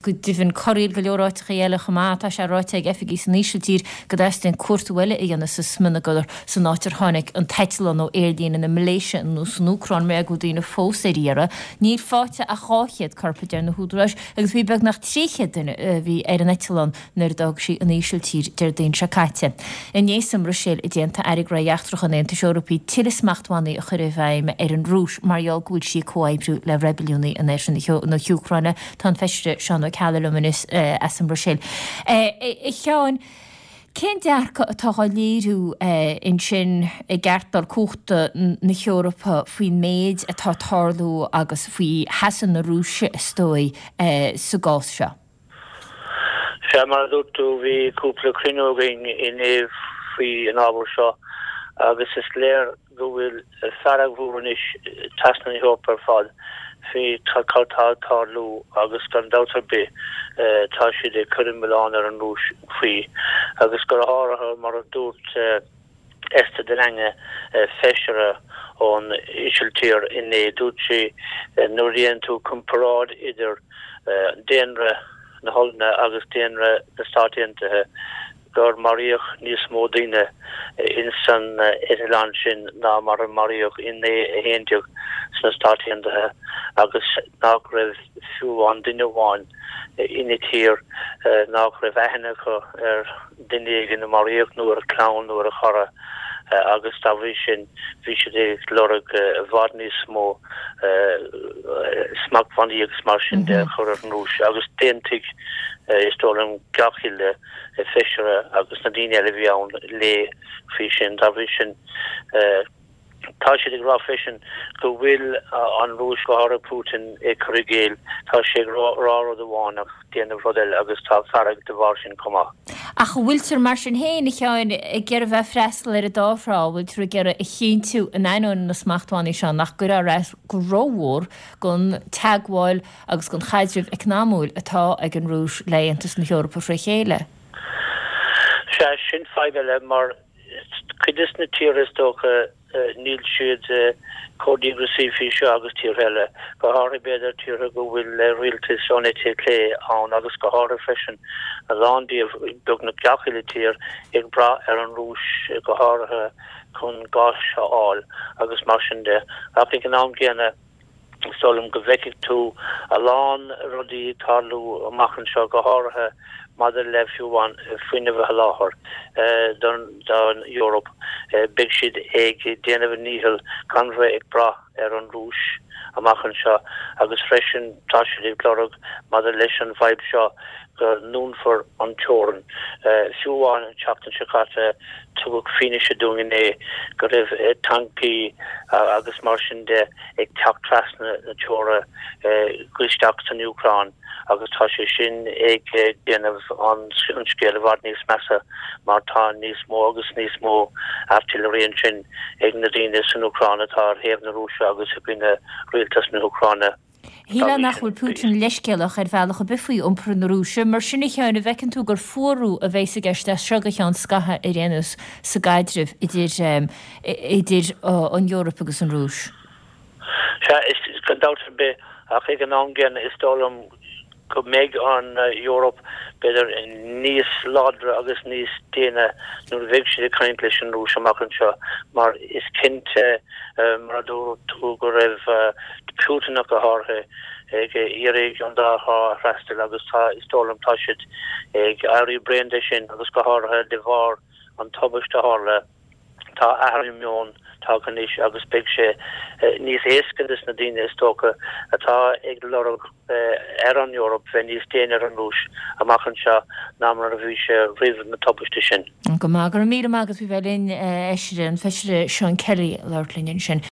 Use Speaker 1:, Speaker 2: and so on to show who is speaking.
Speaker 1: Go deimhin, corraíl go leor áiteachaí eile chomh maith. Tá sé ráite ag oifigigh san Ísiltír go dteastaíonn cuartú eile a dhéanamh sa smionagar san áit ar tháinig an t-eitleán ó aerlíne na Malaeisia anuas san Úcráin mar go bhfuil daoine fós ar iarraidh. Níl faighte ach 200 corp, a deir na húdaráis, agus bhí beagnach 300 duine a bhí ar an eitleán nuair a d'fhág sí an Ísiltír Déardaoin seo caite. Inné sa mBruiséil a d'aontaigh Airí Gnóthaí Eachtracha an Aontais Eorpaigh tuilleadh smachtbhannaí a chur i bhfeidhm ar an Rúis mar gheall go bhfuil sí ag comhoibriú le reibiliúnaigh in oirthear na hÚcráine. Tá an Feisire Seán Ó Ceallaigh liom anois as an mBruiséil. A Sheáin, cén dearcadh atá á léiriú ansin i gceartlár cumhachta na hEorpa faoin méid atá ag tarlú agus faoi sheasamh na Rúise, is dóigh, sa gcás seo?
Speaker 2: Sea, mar a dúirt tú, bhí cúpla cruinniú againn inné faoi an ábhar seo agus is léir go bhfuil fearg mhór anois trasna na hEorpa ar fad faoi cad tá ag tarlú agus gan dabht ar bith tá siad ag cur an milleán ar an Rúis faoi agus go háirithe mar a dúirt Esther de Lange, feisire ón Ísiltír inné, dúirt sí nuair a dhéanann tú comparáid idir daonra na hOllainne agus daonra na Stát Aontaithe gur maraíodh níos mó daoine ins an eitleán sin ná mar a maraíodh in 9/11 sna Stáit Aontaithe agus nach raibh fiú amháin duine amháin ina tír nach raibh aithne acu ar duine éigin a maraíodh nó ar a chlann nó ar a chara agus dá bhrí sin bhí siad ag lorg i bhfad níos mó smachtbhannaí agus mar sin de a chur ar an Rúis agus d'aontaigh is dóigh liom gach uile feisire agus na daoine eile a bhí ann léi faoi sin. Dá bhrí sin, tá siad ag rá freisin go bhfuil an Rúis, go háirithe Putin, ag cur i gcéill. Tá sé ag rá rud amháin ach déanamh rud eile agus tá fearg de bharr sin chomh maith.
Speaker 1: Ach an bhfuiltear mar sin féin, a Sheáin, ag iarraidh bheith ag freastal ar an dá thrá? An bhfuiltear ag iarraidh a chinntiú, in ainneoin na smachtbhannaí seo, nach gcuirfear as go rómhór don teagmháil agus don chaidreamh eacnamúil atá ag an Rúis le Aontas na hEorpa fré chéile.
Speaker 2: Sea, sin fadhb eile mar cuid des na tíortha is dócha níl siad chomh díograiseach faoi seo agus tíortha eile, go háirithe b'fhéidir tíortha go bhfuil rialtais ón eite chlé ann agus go háirithe freisin a lán díobh, beagnach gach uile tír, ag brath ar an Rúis go háirithe chun gás a fháil agus mar sin de. Ach ag an am gcéanna, Is dóigh liom go bhfeicfidh tú a lán rudaí ag tarlú amach anseo, go háirithe maidir le fiú amháin fuinneamh a sholáthar don Eoraip. Beidh siad ag déanamh a ndícheall gan bheith ag brath ar an Rúis amach anseo agus freisin tá siad ag lorg maidir leis an bhfadhb seo go ndúnfar an teorainn. Fiú amháin an tseachtain seo caite tugadh fianaise dúinn inné go raibh tancaí agus mar sin de ag teacht trasna na teora go isteach san Úcráin agus tá sé sin ag déanamh an scéal i bhfad níos measa mar tá níos mó agus níos mó artillery ansin ag na daoine san Úcráin atá ar thaobh na Rúise agus i gcoinne rialtas na hÚcráine.
Speaker 1: Shílfeá nach bhfuil Putin leithscéalach ar bhealach ar bith faoi iompar na Rúise. Mar sin, a Sheáin, an bhfeiceann tú gur fuarú a bheas i gceist as seo go ceann scaithimh ar aon nós sa gcaidreamh idir idir an Eoraip agus an Rúis?
Speaker 2: Sea, is gan dabht ar bith, ach ag an am gcéanna is dóigh liom go mbeidh an Eoraip, b'fhéidir, níos láidre agus níos déine nuair a bheidh siad ag caint leis an Rúis amach anseo mar is cinnte, mar a dúirt tú, go raibh Putin ach go háirithe ag iarraidh an dá thrá a fhreastal agus tá, is dóigh liom, tá siad ag éirí bréan de sin agus go háirithe de bharr an tubaiste a tharla. Tá athrú meoin tagtha anois agus beidh sé níos éasca dos na daoine, is dócha, atá ag lorg ar an Eoraip bheith níos déine ar an Rúis amach anseo ná mar a bhí sé roimh na tubaiste sin.
Speaker 1: Go maith. Go raibh míle maith agat faoi bheith linn, a Fheisire, an Feisire Seán Kelly ag labhairt linn ansin.